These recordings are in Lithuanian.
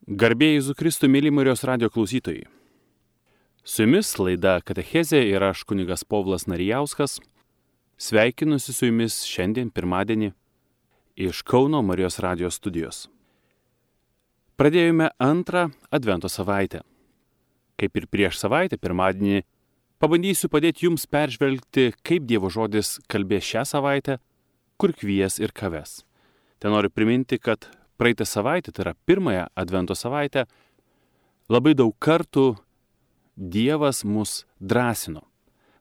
Garbė Jėzui Kristui, mėly Marijos radijo klausytojai. Su jumis laida Katechezė ir aš kunigas Povilas Narijauskas. Sveikinusi su jumis šiandien pirmadienį iš Kauno Marijos radijo studijos. Pradėjome antrą Advento savaitę. Kaip ir prieš savaitę, pirmadienį, pabandysiu padėti jums peržvelgti, kaip Dievo žodis kalbės šią savaitę, kur kvies ir ką ves. Ten noriu priminti, kad praeitą savaitę, tai yra pirmąją Advento savaitę, labai daug kartų Dievas mus drąsino.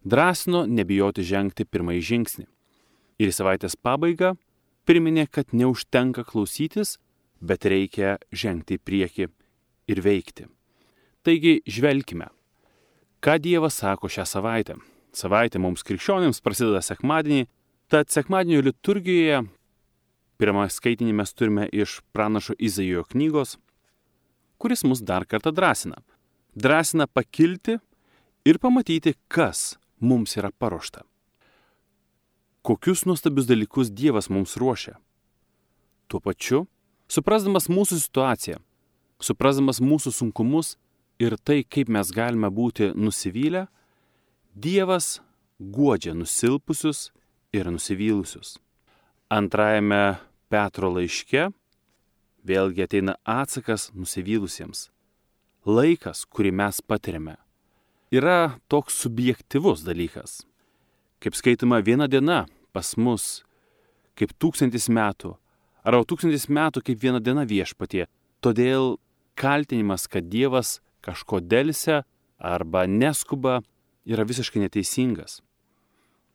Drąsino nebijoti žengti pirmąjį žingsnį. Ir į savaitės pabaigą priminė, kad neužtenka klausytis, bet reikia žengti į priekį ir veikti. Taigi žvelkime, ką Dievas sako šią savaitę. Savaitė mums krikščionims prasideda sekmadienį, tad sekmadienio liturgijoje pirmą skaitinį mes turime iš pranašo Izaijo knygos, kuris mus dar kartą drąsina. Drąsina pakilti ir pamatyti, kas mums yra paruošta. Kokius nuostabius dalykus Dievas mums ruošia. Tuo pačiu, suprasdamas mūsų situaciją, suprasdamas mūsų sunkumus ir tai, kaip mes galime būti nusivylę, Dievas guodžia nusilpusius ir nusivylusius. Antrajame Petro laiške vėlgi ateina atsakas nusivylusiems. Laikas, kurį mes patiriame, yra toks subjektyvus dalykas. Kaip skaitoma, viena diena pas mus kaip 1000 metų, arba 1000 metų kaip viena diena viešpatie. Todėl kaltinimas, kad Dievas kažko delsia arba neskuba, yra visiškai neteisingas.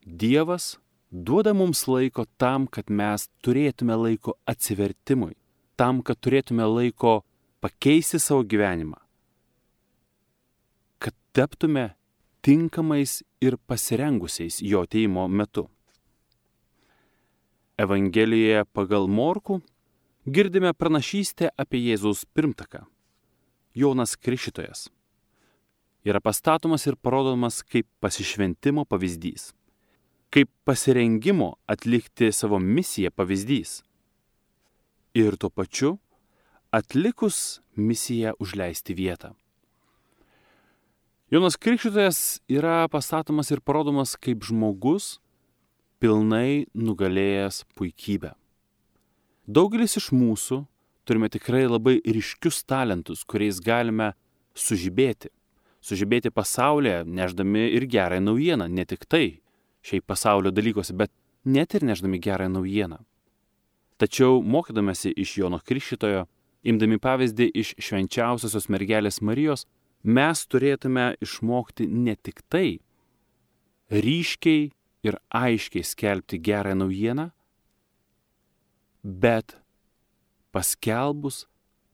Dievas duoda mums laiko tam, kad mes turėtume laiko atsivertimui, tam, kad turėtume laiko pakeisti savo gyvenimą, kad taptume tinkamais ir pasirengusiais jo atėjimo metu. Evangelijoje pagal Morkų girdime pranašystę apie Jėzaus pirmtaką. Jonas Krikštytojas yra pastatomas ir parodomas kaip pasišventimo pavyzdys, kaip pasirengimo atlikti savo misiją pavyzdys. Ir tuo pačiu atlikus misiją užleisti vietą. Jonas Krikštytojas yra pastatomas ir parodomas kaip žmogus pilnai nugalėjęs puikybę. Daugelis iš mūsų turime tikrai labai ryškius talentus, kuriais galime sužibėti. Sužibėti pasaulyje, nešdami ir gerąją naujieną, ne tik tai šiaip pasaulio dalykuose, bet net ir nešdami gerąją naujieną. Tačiau mokydamasi iš Jono Krikštytojo, imdami pavyzdį iš švenčiausiosios mergelės Marijos, mes turėtume išmokti ne tik tai ryškiai ir aiškiai skelbti gerąją naujieną, bet paskelbus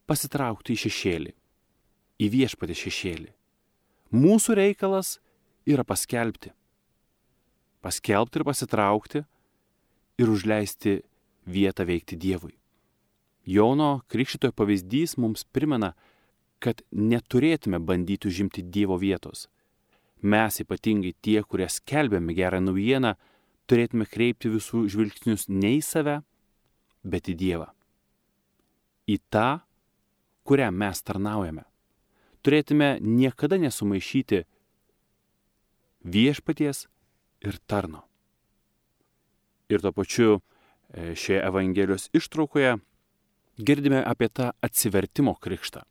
pasitraukti į šešėlį, į viešpatį šešėlį. Mūsų reikalas yra paskelbti ir pasitraukti ir užleisti vietą veikti Dievui. Jono Krikštytojo pavyzdys mums primena, kad neturėtume bandyti užimti Dievo vietos. Mes, ypatingai tie, kurie skelbėme gerą naujieną, turėtume kreipti visų žvilgsnius ne į save, bet į Dievą. Į tą, kuriam mes tarnaujame. Turėtume niekada nesumaišyti viešpaties ir tarno. Ir tuo pačiu šioje Evangelijos ištraukoje girdime apie tą atsivertimo krikštą.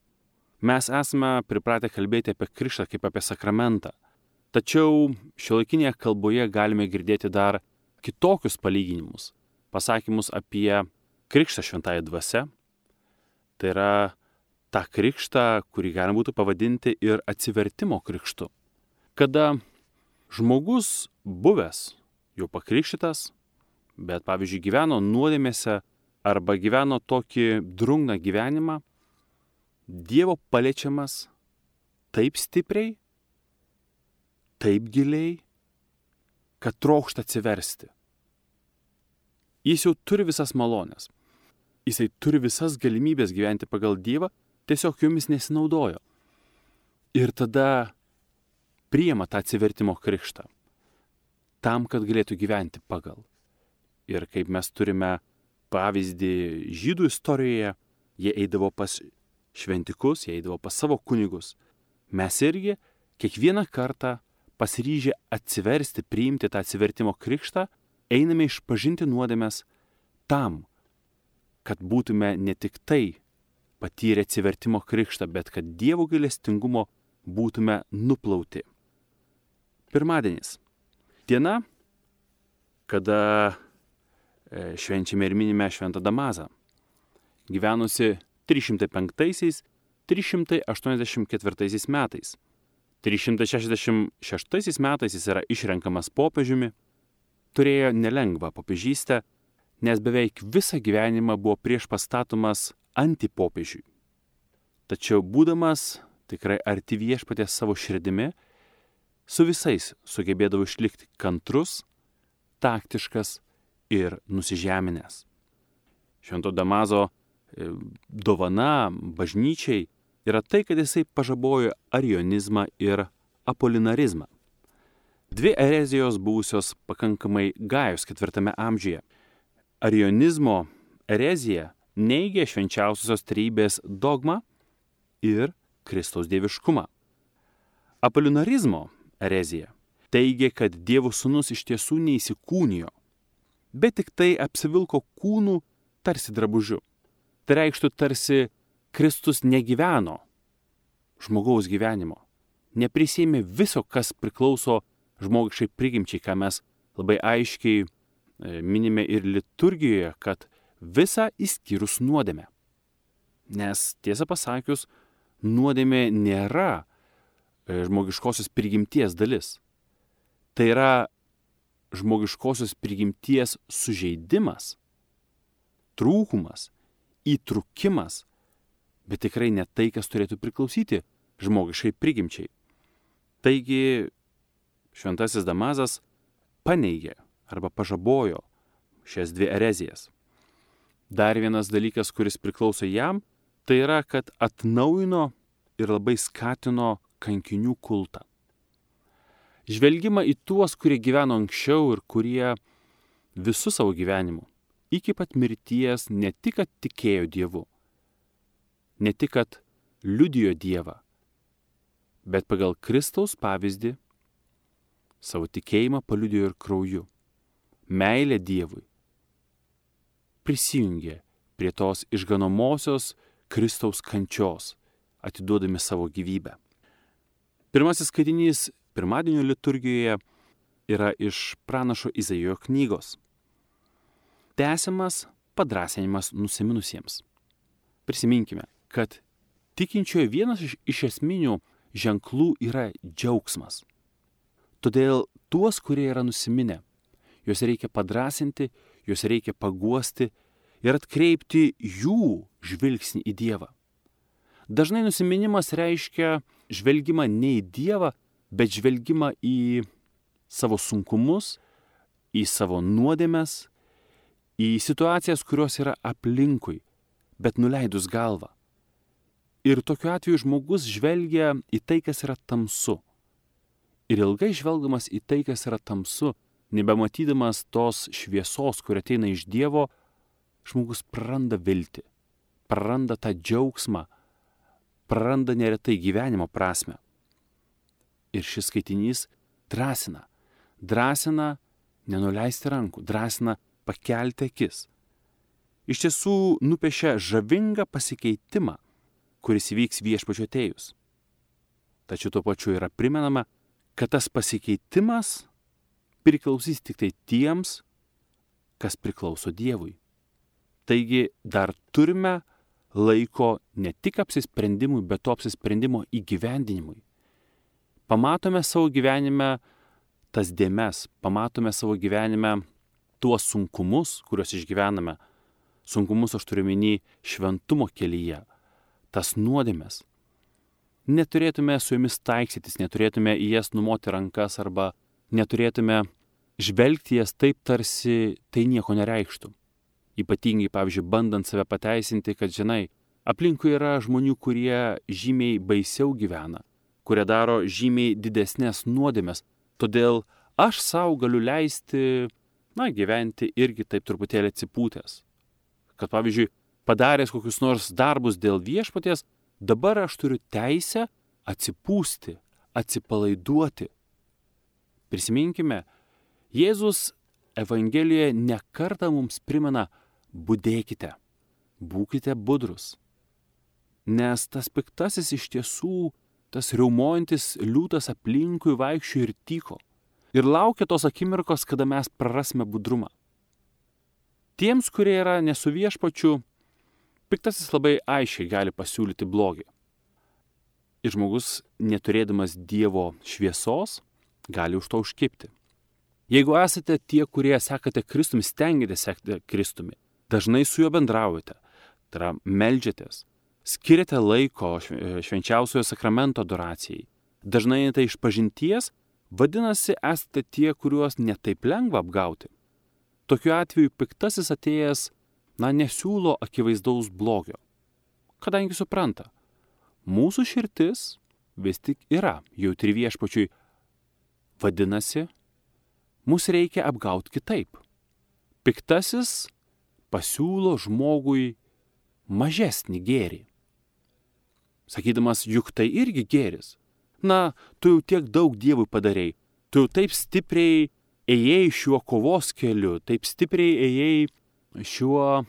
Mes esame pripratę kalbėti apie krikštą kaip apie sakramentą. Tačiau šiuolaikinėje kalboje galime girdėti dar kitokius palyginimus, pasakymus apie krikštą šventąja dvasia. Tai yra tą krikštą, kurį galima būtų pavadinti ir atsivertimo krikštu. Kada žmogus buvęs, jau pakrikštytas, bet pavyzdžiui gyveno nuodėmėse arba gyveno tokį drungną gyvenimą, Dievo paliečiamas taip stipriai, taip giliai, kad trokšta atsiversti. Jis jau turi visas malonės. Jisai turi visas galimybės gyventi pagal Dievą, tiesiog jomis nesinaudojo. Ir tada priima tą atsivertimo krikštą, tam, kad galėtų gyventi pagal. Ir kaip mes turime pavyzdį žydų istorijoje, jie eidavo pas šventikus, jie eidavo pas savo kunigus. Mes irgi kiekvieną kartą pasiryžę atsiversti, priimti tą atsivertimo krikštą, einame išpažinti nuodėmes tam, kad būtume ne tik tai patyrę atsivertimo krikštą, bet kad Dievo gailestingumo būtume nuplauti. Pirmadienis. Diena, kada švenčiame ir minime Šventą Damazą, gyvenusi 305-384 metais. 366 metais jis yra išrenkamas popiežiumi, turėjo nelengvą popiežystę, nes beveik visą gyvenimą buvo priešpastatomas antipopiežiui. Tačiau būdamas tikrai arti Viešpaties savo širdimi, su visais sugebėdavo išlikti kantrus, taktiškas ir nusižeminęs. Švento Damazo dovana bažnyčiai yra tai, kad jisai pažabojo arionizmą ir apolinarizmą. Dvi erezijos buvusios pakankamai gajos 4 amžiuje. Arionizmo erezija neigė švenčiausiosios trejybės dogmą ir Kristaus dieviškumą. Apolinarizmo erezija teigė, kad Dievo sūnus iš tiesų neįsikūnijo, bet tik tai apsivilko kūnų tarsi drabužiu. Tai reikštų tarsi Kristus negyveno žmogaus gyvenimo, neprisėmė viso, kas priklauso žmogiškai prigimčiai, ką mes labai aiškiai minime ir liturgijoje, kad visa išskyrus nuodėmę. Nes tiesą pasakius, nuodėmė nėra žmogiškosios prigimties dalis. Tai yra žmogiškosios prigimties sužeidimas, trūkumas, įtrukimas, bet tikrai ne tai, kas turėtų priklausyti žmogiškai prigimčiai. Taigi Šventasis Damazas paneigė arba pažabojo šias dvi erezijas. Dar vienas dalykas, kuris priklauso jam, tai yra, kad atnaujino ir labai skatino kankinių kultą. Žvelgimą į tuos, kurie gyveno anksčiau ir kurie visų savo gyvenimu iki pat mirties ne tik, kad tikėjo Dievu, ne tik, kad liudijo Dievą, bet pagal Kristaus pavyzdį savo tikėjimą paliudijo ir krauju, meilę Dievui, prisijungė prie tos išganomosios Kristaus kančios, atiduodami savo gyvybę. Pirmasis skaitinys pirmadienio liturgijoje yra iš pranašo Izaijo knygos. Tęsiamas padrąsinimas nusiminusiems. Prisiminkime, kad tikinčiojo vienas iš esminių ženklų yra džiaugsmas. Todėl tuos, kurie yra nusiminę, juos reikia padrąsinti, juos reikia paguosti ir atkreipti jų žvilgsnį į Dievą. Dažnai nusiminimas reiškia žvelgimą ne į Dievą, bet žvelgimą į savo sunkumus, į savo nuodėmes, į situacijas, kurios yra aplinkui, bet nuleidus galvą. Ir tokiu atveju žmogus žvelgia į tai, kas yra tamsu. Ir ilgai žvelgdamas į tai, kas yra tamsu, nebematydamas tos šviesos, kuri ateina iš Dievo, žmogus praranda viltį, praranda tą džiaugsmą, praranda neretai gyvenimo prasmę. Ir šis skaitinys drąsina nenuleisti rankų, drąsina pakelti akis. Iš tiesų nupiešia žavingą pasikeitimą, kuris įvyks Viešpačio atėjus. Tačiau tuo pačiu yra primenama, kad tas pasikeitimas priklausys tik tai tiems, kas priklauso Dievui. Taigi dar turime laiko ne tik apsisprendimui, bet to apsisprendimo įgyvendinimui. Pamatome savo gyvenime tas dėmes, pamatome savo gyvenime tuos sunkumus, kuriuos išgyvename. Sunkumus aš turiu omeny šventumo kelyje, tas nuodėmes. Neturėtume su jomis taikstytis, neturėtume į jas numoti rankas arba neturėtume žvelgti jas taip, tarsi tai nieko nereikštų. Ypatingai, pavyzdžiui, bandant save pateisinti, kad, žinai, aplinkui yra žmonių, kurie žymiai baisiau gyvena, kurie daro žymiai didesnės nuodėmes. Todėl aš savo galiu leisti, gyventi irgi taip truputėlį atsipūtęs. Kad, pavyzdžiui, padaręs kokius nors darbus dėl Viešpaties, Dabar aš turiu teisę atsipūsti, atsipalaiduoti. Prisiminkime, Jėzus Evangelijoje nekartą mums primena: budėkite, būkite budrus. Nes tas piktasis iš tiesų, tas riaumojantis liūtas aplinkui vaikščiojo ir tyko. Ir laukia tos akimirkos, kada mes prarasime budrumą. Tiems, kurie yra ne su viešpačiu, piktasis labai aiškiai gali pasiūlyti blogį. Ir žmogus, neturėdamas Dievo šviesos, gali už to užkibti. Jeigu esate tie, kurie sekate Kristumi, stengiatės sekti Kristumi, dažnai su juo bendraujate, tai yra meldžiatės, skiriate laiko švenčiausiojo sakramento adoracijai, dažnai einate išpažinties, vadinasi, esate tie, kuriuos netaip lengva apgauti. Tokiu atveju piktasis atėjęs, nesiūlo akivaizdaus blogio, kadangi supranta, mūsų širdis vis tik yra jautri viešpačiui, vadinasi, mus reikia apgauti kitaip. Piktasis pasiūlo žmogui mažesnį gėrį, sakydamas, juk tai irgi gėris. Tu jau tiek daug Dievui padarei, tu jau taip stipriai ėjai šiuo kovos keliu, taip stipriai ėjai šiuo,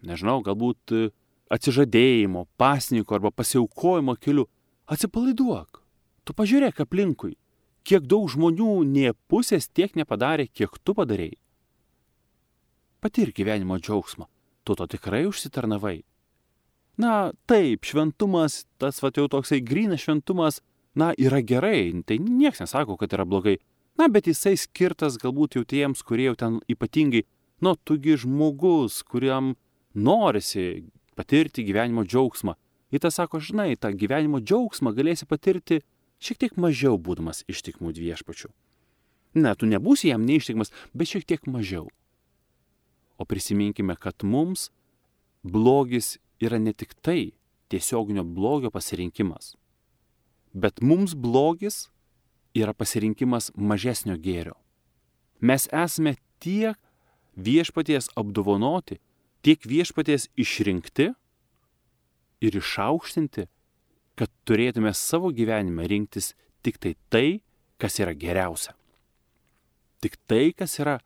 galbūt atsižadėjimo, pasninko arba pasiaukojimo keliu. Atsipalaiduok, tu pažiūrėk aplinkui, kiek daug žmonių nė pusės tiek nepadarė, kiek tu padarei. Patirk gyvenimo džiaugsmą, tu to tikrai užsitarnavai. Taip, šventumas, tas jau toksai grynas šventumas, yra gerai, tai nieks nesako, kad yra blogai. Bet jisai skirtas galbūt jau tiems, kurie jau ten ypatingai, tugi žmogus, kuriam norisi patirti gyvenimo džiaugsmą. Ir tas sako, tą gyvenimo džiaugsmą galėsi patirti šiek tiek mažiau būdamas ištikimų viešpačių. Tu nebūsi jam neištikimas, bet šiek tiek mažiau. O prisiminkime, kad mums blogis yra ne tik tai tiesioginio blogio pasirinkimas, bet mums blogis yra pasirinkimas mažesnio gėrio. Mes esame tiek viešpaties apdovanoti, tiek viešpaties išrinkti ir išaukštinti, kad turėtume savo gyvenime rinktis tik tai, kas yra geriausia. Tik tai, kas yra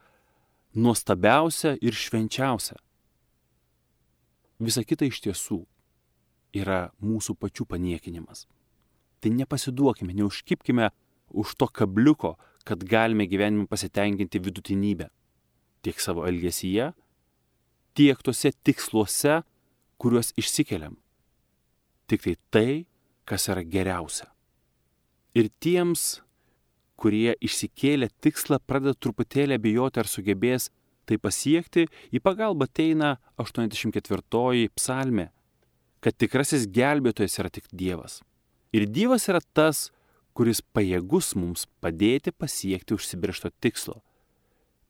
nuostabiausia ir švenčiausia. Visa kita iš tiesų yra mūsų pačių paniekinimas. Tai nepasiduokime, neužkibkime už to kabliuko, kad galime gyvenime pasitenkinti vidutinybę. Tiek savo elgesyje, tiek tose tiksluose, kuriuos išsikeliam. Tik tai, kas yra geriausia. Ir tiems, kurie išsikėlę tikslą, pradeda truputėlį abejoti, ar sugebės tai pasiekti, į pagalbą ateina 84 psalmė, kad tikrasis gelbėtojas yra tik Dievas. Ir Dievas yra tas, kuris pajėgus mums padėti pasiekti užsibrėžto tikslo.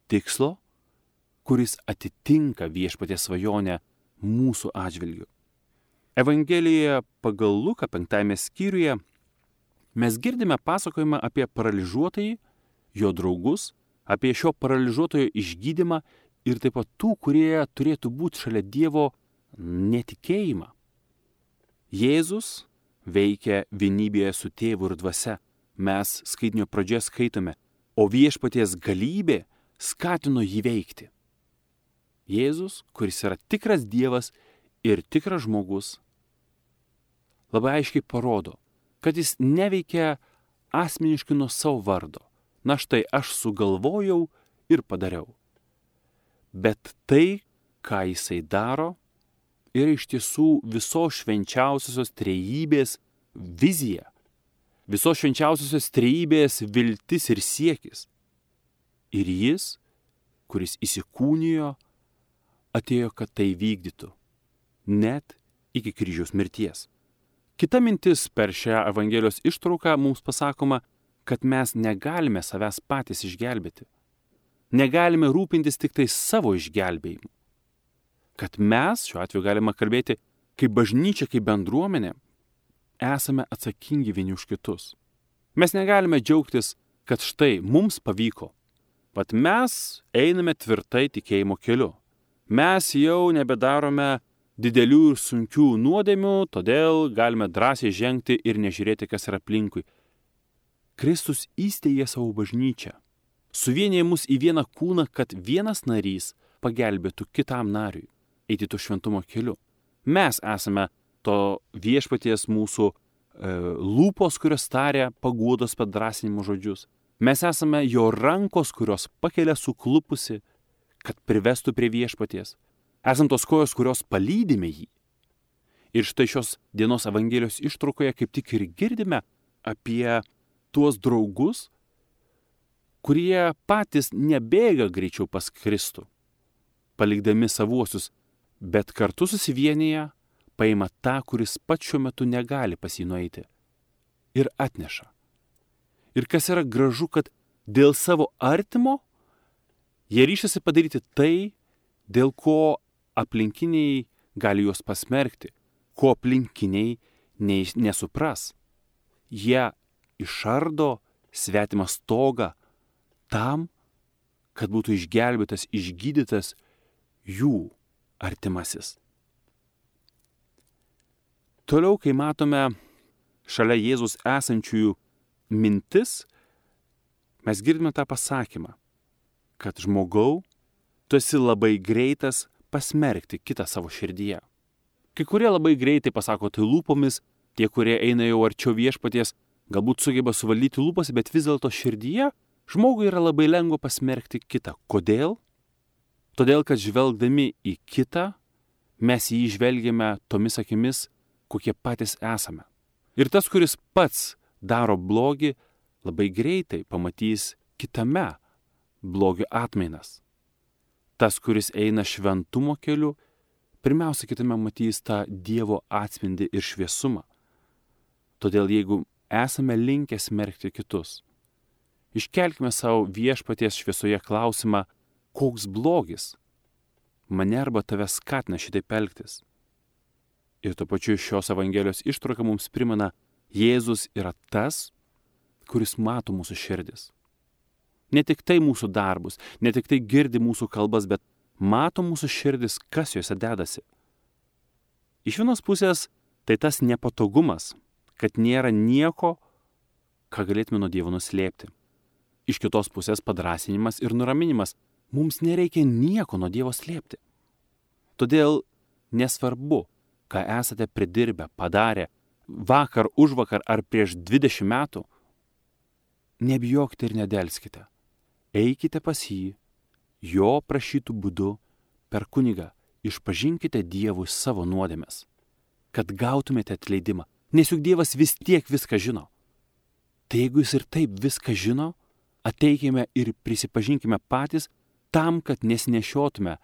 Tikslo, kuris atitinka viešpaties svajonę mūsų atžvilgiu. Evangelijoje pagal Luką 5 skyriuje mes girdime pasakojimą apie paralyžiuotąjį, jo draugus, apie šio paralyžiuotojo išgydymą ir taip pat tų, kurie turėtų būti šalia Dievo netikėjimą. Jėzus veikia vienybėje su tėvu ir dvasia. Mes skaitinio pradžioje skaitome, o viešpaties galybė skatino jį veikti. Jėzus, kuris yra tikras Dievas ir tikras žmogus, labai aiškiai parodo, kad jis neveikia asmeniškai nuo savo vardo. Štai aš sugalvojau ir padariau. Bet tai, ką jisai daro, yra iš tiesų visos švenčiausiosios trejybės vizija. Visos švenčiausiosios trejybės viltis ir siekis. Ir jis, kuris įsikūnijo, atėjo, kad tai vykdytų. Net iki kryžiaus mirties. Kita mintis per šią Evangelijos ištrauką mums pasakoma, kad mes negalime savęs patys išgelbėti. Negalime rūpintis tik tai savo išgelbėjimu. Kad mes, šiuo atveju galima kalbėti, kaip bažnyčia, kaip bendruomenė, esame atsakingi vieni už kitus. Mes negalime džiaugtis, kad štai mums pavyko. Vat mes einame tvirtai tikėjimo keliu. Mes jau nebedarome didelių ir sunkių nuodėmių, todėl galime drąsiai žengti ir nežiūrėti, kas yra aplinkui. Kristus įsteigė savo bažnyčią, suvienija mus į vieną kūną, kad vienas narys pagelbėtų kitam nariui eiti to šventumo keliu. Mes esame to viešpaties mūsų lūpos, kurios taria paguodos padrasinimo žodžius. Mes esame jo rankos, kurios pakelia suklupusi, kad privestų prie viešpaties. Esam tos kojos, kurios palydime jį. Ir štai šios dienos Evangelijos ištraukoje kaip tik ir girdime apie tuos draugus, kurie patys nebėga greičiau pas Kristų, palikdami savuosius, bet kartu susivienyje paima tą, kuris pats šiuo metu negali pas jį nueiti ir atneša. Ir kas yra gražu, kad dėl savo artimo jie ryšasi padaryti tai, dėl ko aplinkiniai gali juos pasmerkti, ko aplinkiniai nesupras. Jie išardo svetimą stogą tam, kad būtų išgelbėtas, išgydytas jų artimasis. Toliau, kai matome šalia Jėzus esančiųjų mintis, mes girdime tą pasakymą, kad žmogau, tu esi labai greitas pasmerkti kitą savo širdyje. Kai kurie labai greitai pasako tai lūpomis, tie, kurie eina jau arčiau viešpaties, galbūt sugeba suvaldyti lūpas, bet vis dėlto širdyje žmogui yra labai lengva pasmerkti kitą. Kodėl? Todėl, kad žvelgdami į kitą, mes jį žvelgiame tomis akimis, kokie patys esame. Ir tas, kuris pats daro blogį, labai greitai pamatys kitame blogio atmainas. Tas, kuris eina šventumo keliu, pirmiausia kitame matys tą Dievo atspindį ir šviesumą. Todėl jeigu esame linkę smerkti kitus, iškelkime savo viešpaties šviesoje klausimą, koks blogis mane arba tave skatina šitaip elgtis. Ir tuo pačiu šios Evangelijos ištrauka mums primena, Jėzus yra tas, kuris mato mūsų širdis. Ne tik tai mūsų darbus, ne tik tai girdi mūsų kalbas, bet mato mūsų širdis, kas juose dedasi. Iš vienos pusės tai tas nepatogumas, kad nėra nieko, ką galėtume nuo Dievo nuslėpti. Iš kitos pusės padrąsinimas ir nuraminimas. Mums nereikia nieko nuo Dievo slėpti. Todėl nesvarbu, ką esate pridirbę, padarę, vakar, užvakar ar prieš 20 metų, nebijokite ir nedelskite. Eikite pas jį, jo prašytų būdu, per kunigą, išpažinkite Dievui savo nuodėmes, kad gautumėte atleidimą, nes juk Dievas vis tiek viską žino. Tai jeigu jis ir taip viską žino, ateikime ir prisipažinkime patys tam, kad nesinešiotume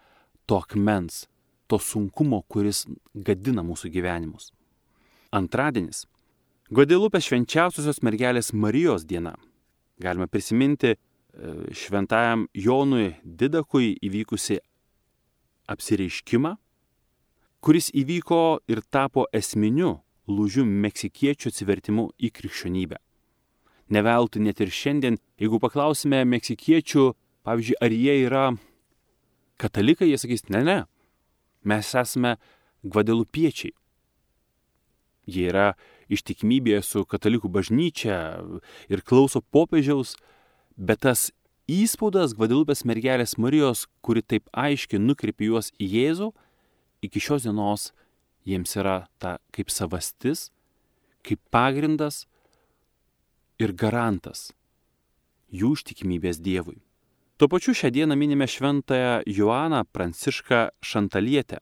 to akmens, to sunkumo, kuris gadina mūsų gyvenimus. Antradienis. Gvadelupės švenčiausiosios mergelės Marijos diena. Galime prisiminti šventajam Jonui Didakui įvykusi apsireiškimą, kuris įvyko ir tapo esminiu lūžiu meksikiečių atsivertimu į krikščionybę. Neveltui net ir šiandien, jeigu paklausime meksikiečių, pavyzdžiui, ar jie yra katalikai, jie sakys, ne, mes esame gvadelupiečiai. Jie yra ištikimybėje su katalikų bažnyčia ir klauso popiežiaus, bet tas įspaudas Gvadelupės mergelės Marijos, kuri taip aiškiai nukreipia juos į Jėzų, iki šios dienos jiems yra ta kaip savastis, kaip pagrindas ir garantas jų ištikimybės Dievui. Tuo pačiu šią dieną minime šventąją Joaną Prancišką Šantalietę,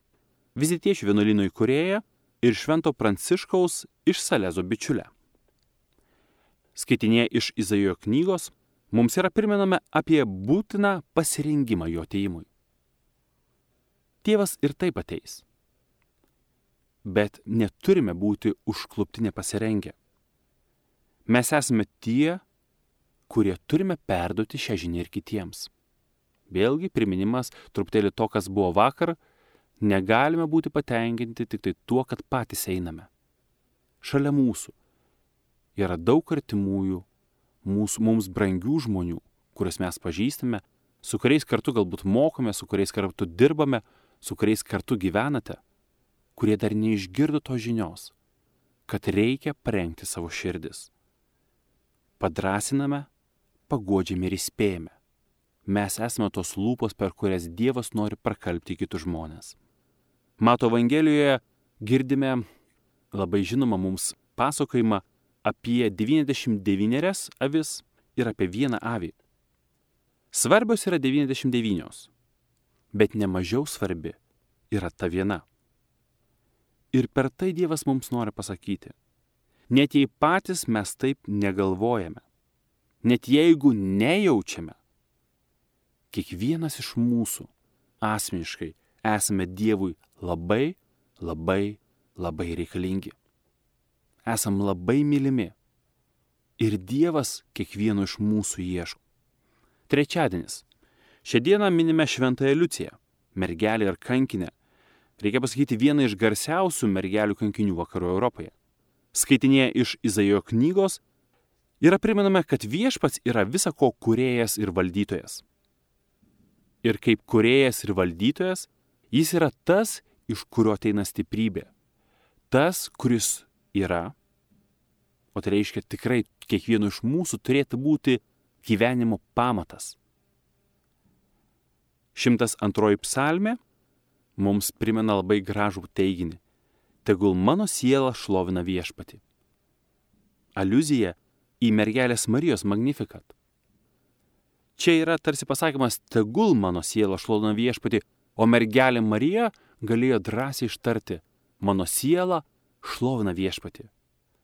vizitiečių vienuolyno įkūrėją ir švento Pranciškaus iš Salezo bičiulę. Skaitinėje iš Izaijo knygos mums yra primenama apie būtiną pasirengimą jo atėjimui. Tėvas ir taip ateis, bet neturime būti užklupti nepasirengę. Mes esame tie, kurie turime perduoti šią žinią ir kitiems. Vėlgi priminimas truputėlį to, kas buvo vakar, negalime būti patenkinti tik tai tuo, kad patys einame. Šalia mūsų yra daug artimųjų, mums brangių žmonių, kuriuos mes pažįstame, su kuriais kartu galbūt mokome, su kuriais kartu dirbame, su kuriais kartu gyvenate. kurie dar neišgirdo tos žinios, kad reikia parengti savo širdis. Padrasiname, paguodžiame ir įspėjame. Mes esame tos lūpos, per kurias Dievas nori prakalbti kitus žmonės. Mato Evangelijoje girdime labai žinoma mums pasakojimą apie 99 avis ir apie vieną avį. Svarbios yra 99, bet nemažiau svarbi yra ta viena. Ir per tai Dievas mums nori pasakyti, net jei patys mes taip negalvojame, net jeigu nejaučiame, kiekvienas iš mūsų asmeniškai esame Dievui labai, labai, labai reikalingi. Esam labai mylimi ir Dievas kiekvieno iš mūsų ieško. Trečiadienis. Šią dieną minime Šventąją Liuciją, mergelę ir kankinę. Reikia pasakyti, vieną iš garsiausių mergelių kankinių vakarų Europoje. Skaitinėje iš Izaijo knygos yra primename, kad Viešpats yra visa ko kūrėjas ir valdytojas. Ir kaip kūrėjas ir valdytojas, jis yra tas, iš kurio ateina stiprybė. Tas, kuris yra, o tai reiškia tikrai kiekvieno iš mūsų turėtų būti gyvenimo pamatas. 102 psalmė mums primena labai gražų teiginį. Tegul mano siela šlovina Viešpatį. Aliuzija į mergelės Marijos Magnificat. Čia yra tarsi pasakymas, tegul mano siela šlovina Viešpatį, o mergelė Marija galėjo drąsiai ištarti, mano siela šlovina Viešpatį.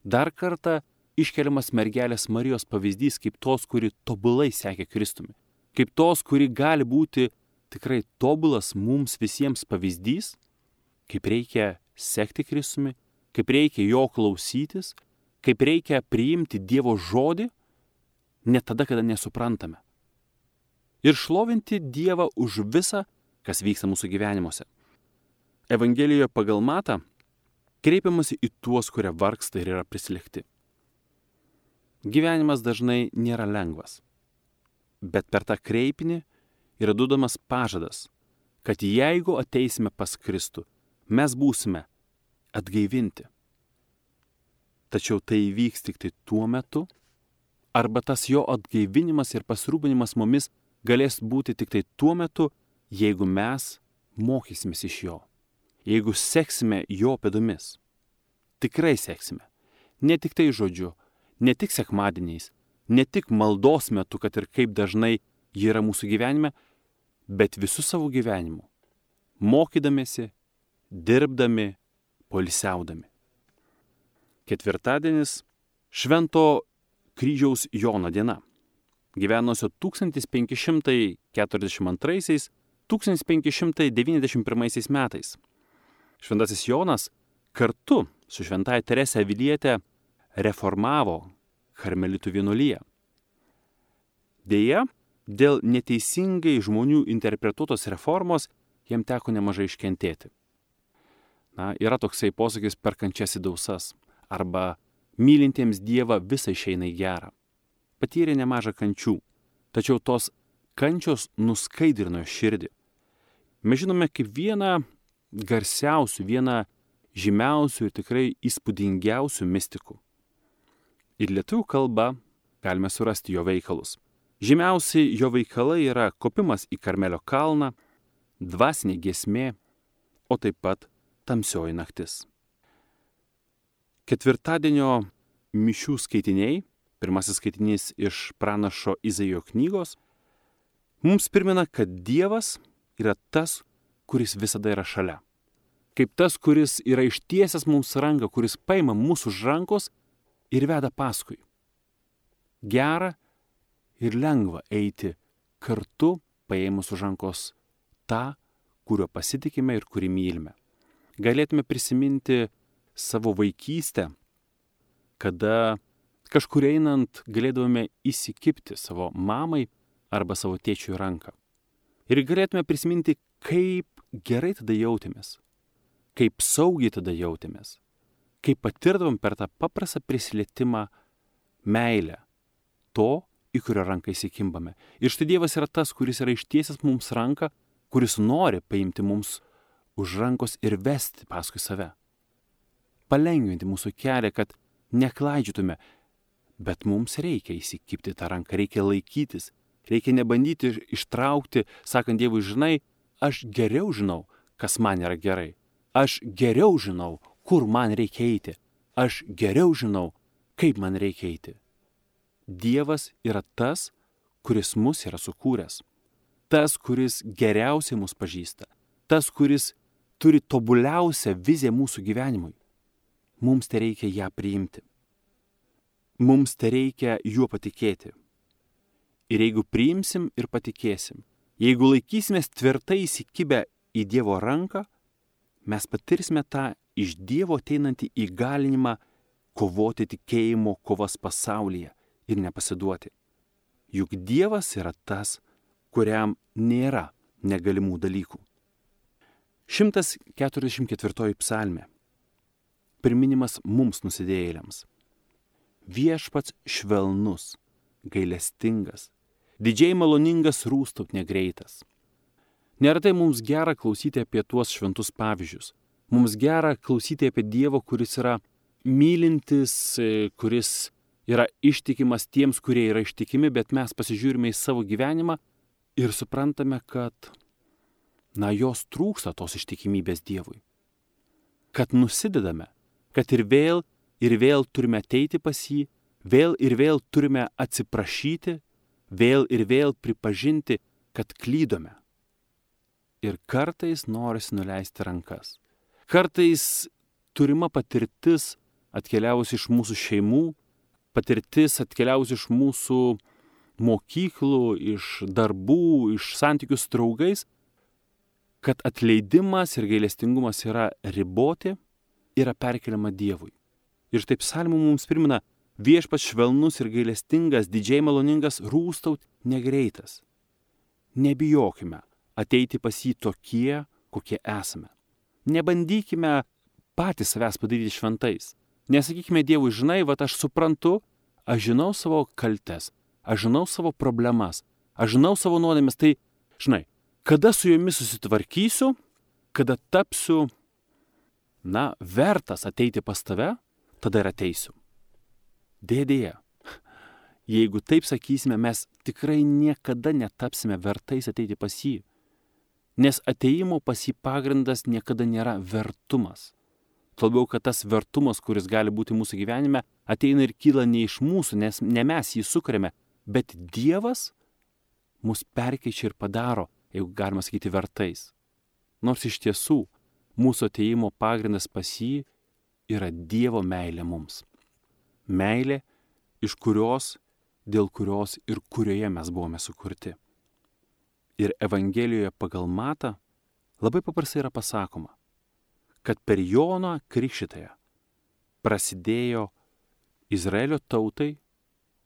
Dar kartą iškeliamas mergelės Marijos pavyzdys kaip tos, kuri tobulai sekė Kristumi. Kaip tos, kuri gali būti tikrai tobulas mums visiems pavyzdys, kaip reikia sekti Kristumi, kaip reikia jo klausytis, kaip reikia priimti Dievo žodį, net tada, kada nesuprantame. Ir šlovinti Dievą už visą, kas vyksta mūsų gyvenimuose. Evangelijoje pagal Matą kreipiamasi į tuos, kurie vargsta ir yra prislėgti. Gyvenimas dažnai nėra lengvas, bet per tą kreipinį yra duodamas pažadas, kad jeigu ateisime pas Kristų, mes būsime atgaivinti. Tačiau tai įvyks tik tai tuo metu, arba tas jo atgaivinimas ir pasirūpinimas mumis galės būti tik tai tuo metu, jeigu mes mokysimės iš jo, jeigu seksime jo pėdomis. Tikrai seksime, ne tik tai žodžiu, ne tik sekmadieniais, ne tik maldos metu, kad ir kaip dažnai ji yra mūsų gyvenime, bet visų savo gyvenimu, mokydamėsi, dirbdami, poilsiaudami. Ketvirtadienis – Švento kryžiaus Jono diena, gyvenusio 1542–1591 metais. Šventasis Jonas kartu su Šventąja Terese Aviliete reformavo karmelitų vienuoliją. Deja, dėl neteisingai žmonių interpretuotos reformos jam teko nemažai iškentėti. Yra toksai posakis per kančias į dausas, arba mylintiems Dievą visa išeina į gerą. Patyrė nemažą kančių, tačiau tos kančios nuskaidrino širdį. Mes žinome kaip vieną garsiausių, vieną žymiausių ir tikrai įspūdingiausių mistikų. Ir lietuvių kalba galime surasti jo veikalus. Žymiausi jo veikalai yra kopimas į Karmelio kalną, dvasinė giesmė, o taip pat tamsioji naktis. Ketvirtadienio mišių skaitiniai, pirmasis skaitinys iš pranašo Izaijo knygos, mums primena, kad Dievas yra tas, kuris visada yra šalia. Kaip tas, kuris yra ištiesęs mums ranką, kuris paima mūsų už rankos ir veda paskui. Gera ir lengva eiti kartu paėmus už rankos tą, kuriuo pasitikime ir kurį mylime. Galėtume prisiminti savo vaikystę, kada kažkur einant galėdavome įsikibti savo mamai arba savo tėčiui ranką. Ir galėtume prisiminti, kaip gerai tada jautėmės, kaip saugiai tada jautėmės, kaip patirdavom per tą paprastą prisilietimą meilę to, į kurio ranką įsikimbame. Ir štai Dievas yra tas, kuris yra ištiesęs mums ranką, kuris nori paimti mums už rankos ir vesti paskui save. Palengvinti mūsų kelią, kad neklaidžiotume, bet mums reikia įsikibti tą ranką, reikia laikytis, reikia nebandyti ištraukti, sakant Dievui, žinai, aš geriau žinau, kas man yra gerai. Aš geriau žinau, kur man reikia eiti. Aš geriau žinau, kaip man reikia eiti. Dievas yra tas, kuris mus yra sukūręs. Tas, kuris geriausiai mus pažįsta. Tas, kuris turi tobuliausią viziją mūsų gyvenimui. Mums tai reikia ją priimti. Mums tai reikia juo patikėti. Ir jeigu priimsim ir patikėsim, jeigu laikysimės tvirtai įsikibę į Dievo ranką, mes patirsime tą iš Dievo ateinantį įgalinimą kovoti tikėjimo kovas pasaulyje ir nepasiduoti. Juk Dievas yra tas, kuriam nėra negalimų dalykų. 144 psalmė. Priminimas mums nusidėjėliams. Viešpats švelnus, gailestingas, didžiai maloningas, rūstaut negreitas. Neretai mums gera klausyti apie tuos šventus pavyzdžius. Mums gera klausyti apie Dievą, kuris yra mylintis, kuris yra ištikimas tiems, kurie yra ištikimi, bet mes pasižiūrime į savo gyvenimą ir suprantame, kad, jos trūksta tos ištikimybės Dievui. Kad nusidedame, kad ir vėl turime ateiti pas jį, vėl ir vėl turime atsiprašyti, vėl ir vėl pripažinti, kad klydome. Ir kartais norisi nuleisti rankas. Kartais turima patirtis atkeliavusi iš mūsų šeimų, patirtis atkeliavusi iš mūsų mokyklų, iš darbų, iš santykių su draugais, kad atleidimas ir gailestingumas yra riboti, yra perkeliama Dievui. Ir štai psalmė mums primena, viešpats švelnus ir gailestingas, didžiai maloningas, rūstaut negreitas. Nebijokime ateiti pas jį tokie, kokie esame. Nebandykime patys savęs padaryti šventais. Nesakykime Dievui, žinai, aš suprantu, aš žinau savo kaltes, aš žinau savo problemas, aš žinau savo nuodėmes, tai, žinai, kada su jomis susitvarkysiu, kada tapsiu, vertas ateiti pas tave, tada ir ateisiu. Dėdėje, jeigu taip sakysime, mes tikrai niekada netapsime vertais ateiti pas jį, nes ateimo pas jį pagrindas niekada nėra vertumas. Labiau, kad tas vertumas, kuris gali būti mūsų gyvenime, ateina ir kyla ne iš mūsų, nes ne mes jį sukuriame, bet Dievas mus perkeičia ir padaro, jeigu galima sakyti, vertais. Nors iš tiesų mūsų ateimo pagrindas pas jį yra Dievo meilė mums. Meilė, dėl kurios ir kurioje mes buvome sukurti. Ir Evangelijoje pagal Matą labai paprastai yra pasakoma, kad per Joną Krikštytoją prasidėjo Izraelio tautai,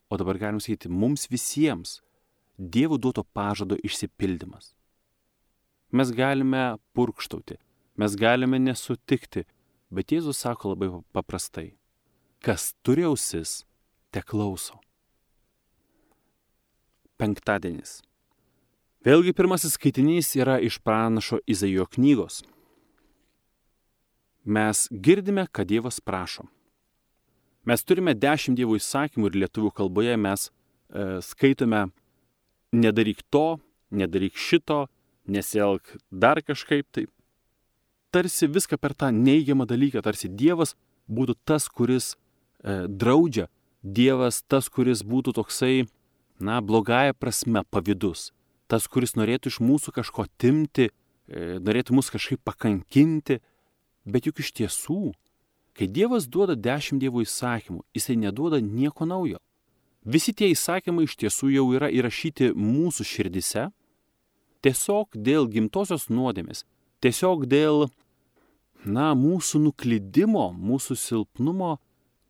o dabar galim sakyti mums visiems, Dievo duoto pažado išsipildymas. Mes galime purkštauti, mes galime nesutikti, bet Jėzus sako labai paprastai, kas turi ausis, te klauso. Penktadienis. Vėlgi pirmasis skaitinys yra iš pranašo Izaijo knygos. Mes girdime, kad Dievas prašo. Mes turime 10 Dievo įsakymų ir lietuvių kalboje mes skaitome nedaryk to, nedaryk šito, nesielk dar kažkaip taip. Tarsi viską per tą neigiamą dalyką, tarsi Dievas būtų tas, kuris draudžia, Dievas tas, kuris būtų toksai, blogąja prasme pavydus, tas, kuris norėtų iš mūsų kažko atimti, norėtų mus kažkaip pakankinti, bet juk iš tiesų, kai Dievas duoda 10 Dievo įsakymų, jisai neduoda nieko naujo. Visi tie įsakymai iš tiesų jau yra įrašyti mūsų širdise, tiesiog dėl gimtosios nuodėmės, tiesiog dėl, mūsų nuklydimo, mūsų silpnumo,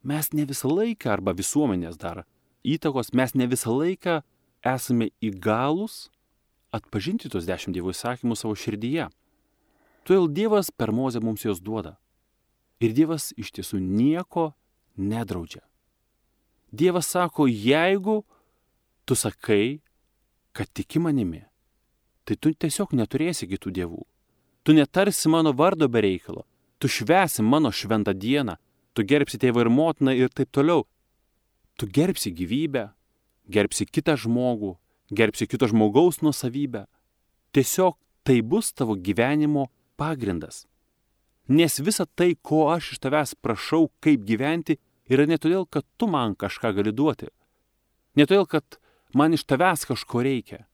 mes ne visą laiką, arba visuomenės dar įtakos, mes ne visą laiką esame įgalūs atpažinti tos 10 Dievo įsakymų savo širdyje. Todėl Dievas per Mozę mums jos duoda. Ir Dievas iš tiesų nieko nedraudžia. Dievas sako, jeigu tu sakai, kad tiki manimi, tai tu tiesiog neturėsi kitų dievų. tu netarsi mano vardo be reikalo, tu švęsi mano šventą dieną, tu gerbsi tėvą ir motiną ir taip toliau. Tu gerbsi gyvybę, gerbsi kitą žmogų, gerbsi kito žmogaus nuosavybę. Tiesiog tai bus tavo gyvenimo pagrindas. Nes visa tai, ko aš iš tavęs prašau, kaip gyventi, yra ne todėl, kad tu man kažką gali duoti. Ne todėl, kad man iš tavęs kažko reikia.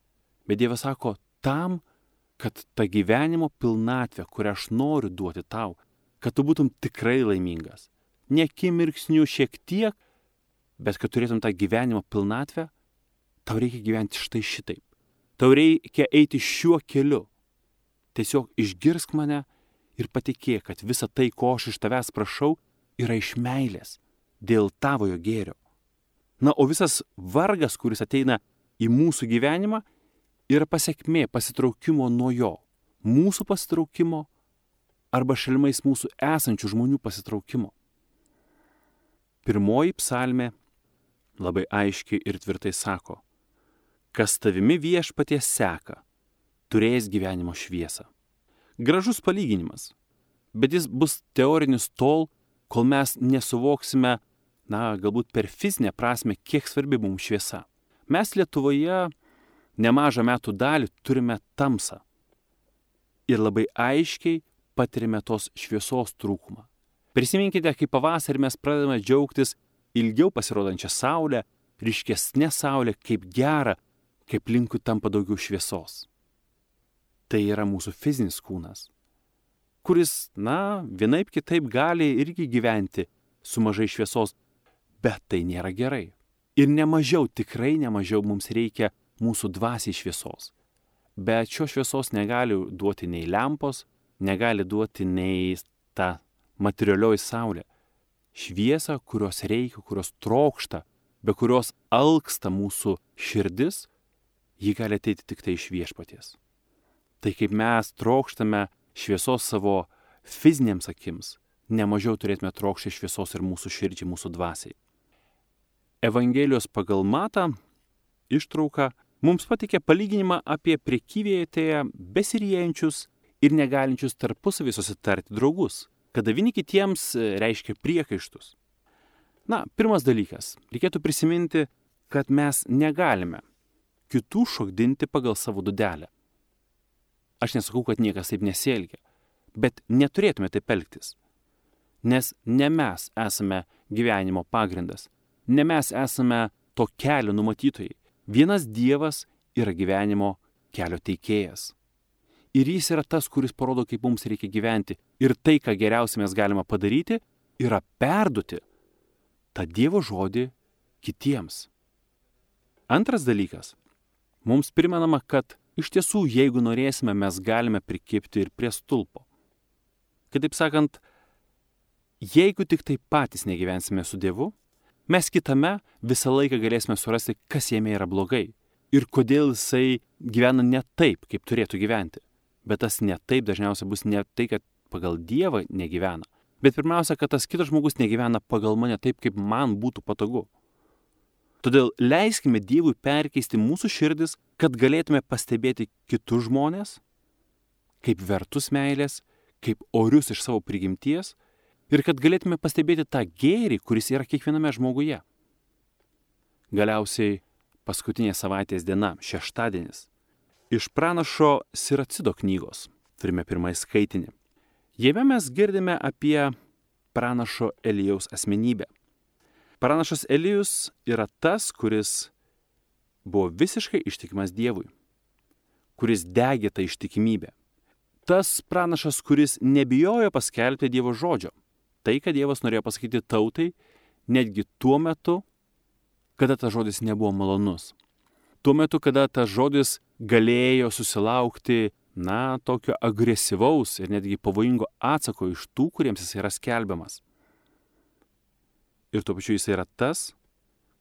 Bet Dievas sako, tam, kad ta gyvenimo pilnatvė, kurią aš noriu duoti tau, kad tu būtum tikrai laimingas. Ne akimirksniu šiek tiek, bet kad turėtum tą gyvenimo pilnatvę, tau reikia gyventi štai šitaip. Tau reikia eiti šiuo keliu. Tiesiog išgirsk mane ir patikėk, kad visa tai, ko aš iš tavęs prašau, yra iš meilės, dėl tavojo gėrio. Na, o visas vargas, kuris ateina į mūsų gyvenimą, yra pasekmė pasitraukimo nuo jo. Mūsų pasitraukimo arba šalimais mūsų esančių žmonių pasitraukimo. Pirmoji psalmė labai aiškiai ir tvirtai sako, kas tavimi viešpaties seka, turės gyvenimo šviesą. Gražus palyginimas, bet jis bus teorinis tol, kol mes nesuvoksime, galbūt per fizinę prasme, kiek svarbi mums šviesa. Mes Lietuvoje nemažą metų dalį turime tamsą ir labai aiškiai patirime tos šviesos trūkumą. Prisiminkite, kaip pavasarį mes pradedame džiaugtis ilgiau pasirodančią saulę, ryškesnė saulė, kaip gera, kaip aplinkui tampa daugiau šviesos. Tai yra mūsų fizinis kūnas, kuris, vienaip kitaip gali irgi gyventi su mažai šviesos, bet tai nėra gerai. Ir nemažiau, tikrai nemažiau mums reikia mūsų dvasiai šviesos. Bet šios šviesos negali duoti nei lempos, negali duoti nei ta materialioji saulė. Šviesą, kurios reikia, kurios trokšta, be kurios alksta mūsų širdis, ji gali ateiti tik tai iš viešpaties. Tai kaip mes trokštame šviesos savo fizinėms akims, nemažiau turėtume trokšti šviesos ir mūsų širdžiai, mūsų dvasiai. Evangelijos pagal Matą ištrauka mums pateikė palyginimą apie prekyvietėje besiriejančius ir negalinčius tarpusavį susitarti draugus, kada vieni kitiems reiškia priekaištus. Pirmas dalykas, reikėtų prisiminti, kad mes negalime kitų šokdinti pagal savo dūdelę. Aš nesakau, kad niekas taip nesielgia, bet neturėtume taip elgtis. Nes ne mes esame gyvenimo pagrindas, ne mes esame to kelio numatytojai. Vienas Dievas yra gyvenimo kelio teikėjas. Ir jis yra tas, kuris parodo, kaip mums reikia gyventi. Ir tai, ką geriausiai mes galime padaryti, yra perduoti tą Dievo žodį kitiems. Antras dalykas. Mums primenama, kad iš tiesų, jeigu norėsime, mes galime prikibti ir prie stulpo. Kitaip sakant, jeigu tik tai patys negyvensime su Dievu, mes kitame visą laiką galėsime surasti, kas jame yra blogai ir kodėl jisai gyvena ne taip, kaip turėtų gyventi. Bet tas ne taip dažniausiai bus ne tai, kad pagal Dievą negyvena, bet pirmiausia, kad tas kitas žmogus negyvena pagal mane taip, kaip man būtų patogu. Todėl leiskime Dievui perkeisti mūsų širdis, kad galėtume pastebėti kitus žmonės, kaip vertus meilės, kaip orius iš savo prigimties ir kad galėtume pastebėti tą gėrį, kuris yra kiekviename žmoguje. Galiausiai paskutinė savaitės diena, šeštadienis. Iš pranašo Siracido knygos turime pirmąjį skaitinį. Jame mes girdime apie pranašo Elijaus asmenybę. Pranašas Elijus yra tas, kuris buvo visiškai ištikimas Dievui, kuris degė tą ištikimybę. Tas pranašas, kuris nebijojo paskelbti Dievo žodžio. Tai, ką Dievas norėjo pasakyti tautai, netgi tuo metu, kada tas žodis nebuvo malonus. Tuo metu, kada tas žodis galėjo susilaukti, tokio agresyvaus ir netgi pavojingo atsako iš tų, kuriems jis yra skelbiamas. Ir tuo pačiu jis yra tas,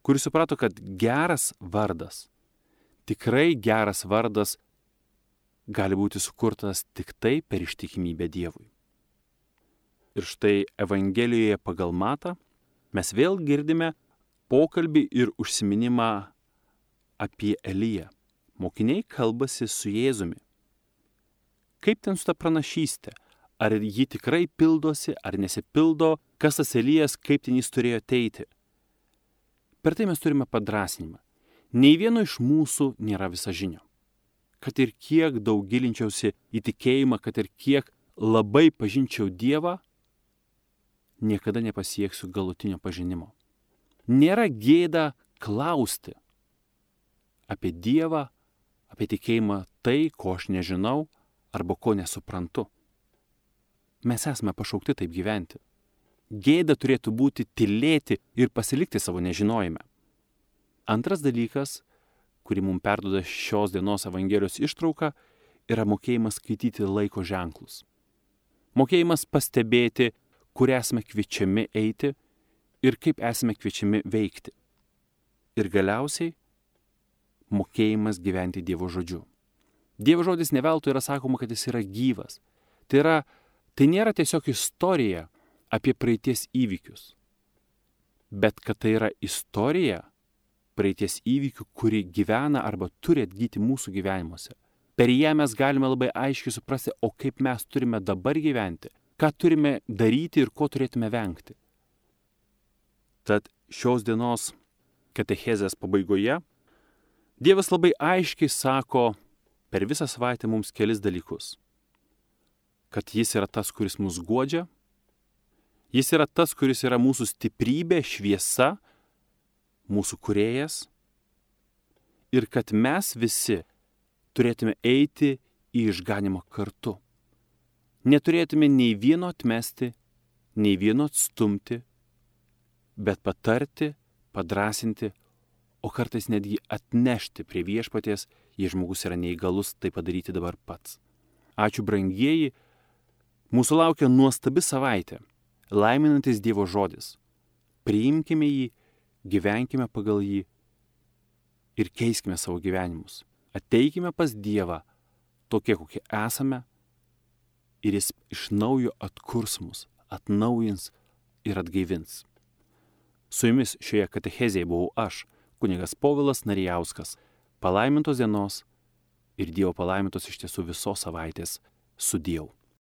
kuris suprato, kad geras vardas, tikrai geras vardas gali būti sukurtas tik tai per ištikimybę Dievui. Ir štai Evangelijoje pagal Matą mes vėl girdime pokalbį ir užsiminimą apie Eliją. Mokiniai kalbasi su Jėzumi. kaip ten su ta pranašystė, ar ji tikrai pildosi, ar nesipildo, kas tas Elijas, kaip ten jis turėjo ateiti. Per tai mes turime padrasnimą. Nei vieno iš mūsų nėra visažinio. Kad ir kiek daug gilinčiausi į tikėjimą, kad ir kiek labai pažinčiau Dievą, niekada nepasieksiu galutinio pažinimo. Nėra gėda klausti apie Dievą, apie tikėjimą tai, ko aš nežinau arba ko nesuprantu. Mes esame pašaukti taip gyventi. Gėda turėtų būti tylėti ir pasilikti savo nežinojime. Antras dalykas, kurį mums perduoda šios dienos Evangelijos ištrauka, yra mokėjimas skaityti laiko ženklus. Mokėjimas pastebėti, kur esame kviečiami eiti ir kaip esame kviečiami veikti. Ir galiausiai mokėjimas gyventi Dievo žodžiu. Dievo žodis ne veltui yra sakoma, kad jis yra gyvas. Tai nėra tiesiog istorija apie praeities įvykius, bet kad tai yra istorija praeities įvykių, kuri gyvena arba turi atgyti mūsų gyvenimuose. Per ją mes galime labai aiškiai suprasti, o kaip mes turime dabar gyventi, ką turime daryti ir ko turėtume vengti. Tad šios dienos katechezės pabaigoje Dievas labai aiškiai sako per visą savaitę mums kelis dalykus. Kad jis yra tas, kuris mus guodžia, jis yra tas, kuris yra mūsų stiprybė, šviesa, mūsų kūrėjas, ir kad mes visi turėtume eiti į išganimą kartu. Neturėtume nei vieno atmesti, nei vieno atstumti, bet patarti, padrasinti, o kartais netgi atnešti prie viešpaties, jei žmogus yra neįgalus tai padaryti dabar pats. Ačiū brangieji, mūsų laukia nuostabi savaitė, laiminantis Dievo žodis. Priimkime jį, gyvenkime pagal jį ir keiskime savo gyvenimus. Ateikime pas Dievą tokie, kokie esame, ir jis iš naujo atkurs mus, atnaujins ir atgaivins. Su jumis šioje katechezėje buvau aš, kunigas Povilas Narijauskas. Palaimintos dienos ir Dievo palaimintos iš tiesų visos savaitės. Sudieu.